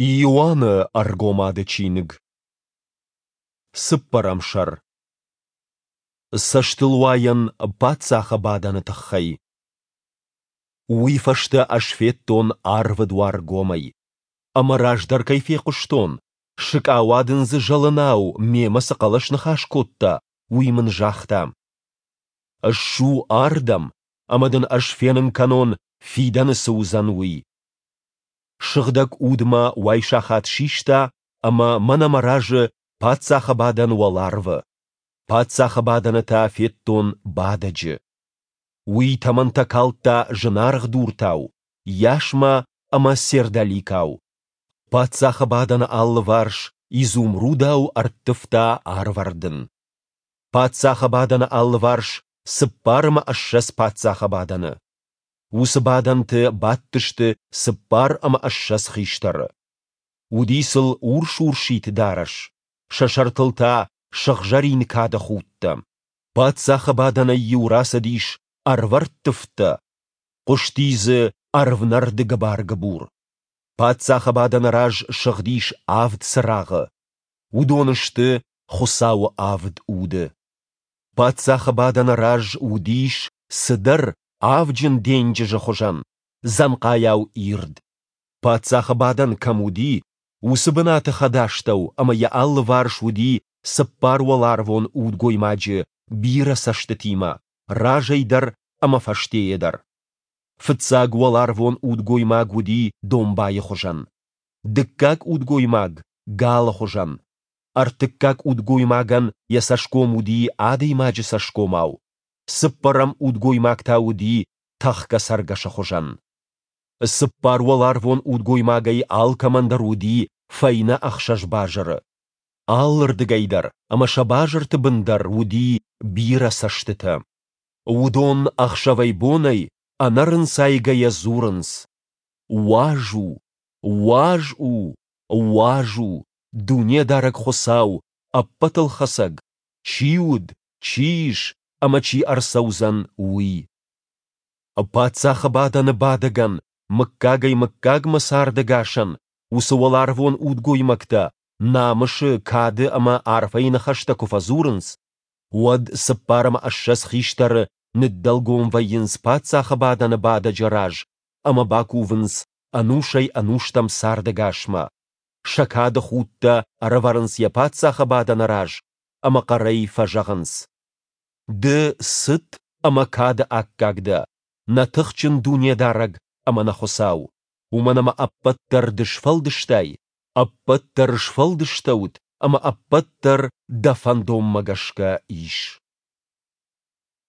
Иоанны Ӕргомады чиныг. Цыппӕрӕм сӕр. Цӕстылуайӕн паддзахы бадӕны тыххӕй. Уый фӕстӕ ӕз федтон арвы дуар гомӕй. Ӕмӕ раздӕр кӕй фехъуыстон, сыкъауадындзы зӕлынау мемӕ цы хъӕлӕс ныхас кодта, уый мын загъта: Ссу ардӕм, ӕмӕ дын ӕз фенын кӕнон, фидӕны цы уыдзӕн, уый. Сыгъдӕг Уд мӕ уайсахат систа ӕмӕ мӕнӕ мӕ разы паддзахы бадӕн уӕларвы. Паддзахы бадӕны та федтон Бадӕджы. Уый тӕмӕнтӕ калдта зынаргъ дуртау, ясмӕ ӕмӕ сердоликау. Паддзахы бадӕны алыварс изумрудау ӕрттывта арвӕрдын. Паддзахы бадӕны алыварс 24 паддзахы бадӕны. Уыцы бадӕнты бадтысты 24 хистӕры. Уыди сыл урс-урсид дарӕс, сӕ сӕртыл та сыгъзӕрин кады худтӕ. Паддзахы бадӕнӕй-иу рацыдис ӕрвӕрттывдтӕ, хъуысти дзы ӕрвнӕрды гыбар-гыбур. Паддзахы бадӕны раз сыгъдис авд цырагъы. Уыдон сты Хуыцауы авд уды. Паддзахы бадӕны раз уыдис цыдӕр авджын денджызы хуызӕн, дзӕнхъайау ирд. Паддзахы бадӕн кӕм уыди, уыцы бынаты хӕдастӕу ӕмӕ йӕ алыварс уыди цыппар уӕларвон удгоймаджы бирӕ цӕстытимӕ, разӕй дӕр ӕмӕ фӕстейӕ дӕр. Фыццаг уӕларвон удгоймаг уыди домбайы хуызӕн, дыккаг удгоймаг галы хуызӕн, ӕртыккаг удгоймагӕн йӕ цӕсгом уыди адӕймаджы цӕсгомау, цыппӕрӕм удгоймаг та уыди тӕхгӕ цӕргӕсы хуызӕн. Цыппар уӕларвон удгоймагӕй алкӕмӕн дӕр уыди фӕйнӕ ӕхсӕз базыры. Алырдыгӕй дӕр ӕмӕ сӕ базырты бын дӕр уыди бирӕ цӕстытӕ. Уыдон ӕхсӕвӕй-бонӕй ӕнӕрынцайгӕйӕ дзурынц: Уаз у, уаз у, уаз у, Дунедарӕг Хуыцау, Ӕппӕтылхӕцӕг, чи уыд, чи ис ӕмӕ чи ӕрцӕудзӕн, уый. Паддзахы бадӕны бадӕгӕн, мыггагӕй-мыггагмӕ цардӕгасӕн, уыцы уӕларвон удгоймӕгтӕ намысы, кады ӕмӕ арфӕйы ныхӕстӕ куы фӕдзурынц, уӕд 24 хистӕры ныддӕлгом вӕййынц паддзахы бадӕны бадӕджы раз ӕмӕ бакувынц ӕнусӕй-ӕнустӕм цардӕгасмӕ, сӕ кады худтӕ ӕрӕвӕрынц йӕ паддзахы бадӕны раз ӕмӕ хъӕрӕй фӕзӕгъынц: Ды цыт ӕмӕ кады аккаг дӕ, нӕ тыхджын Дунедарӕг ӕмӕ нӕ Хуыцау, уымӕн ӕмӕ ӕппӕт дӕр ды сфӕлдыстай, ӕппӕт дӕр сфӕлдыстӕуыд ӕмӕ ӕппӕт дӕр дӕ фӕндонмӕ гӕсгӕ ис.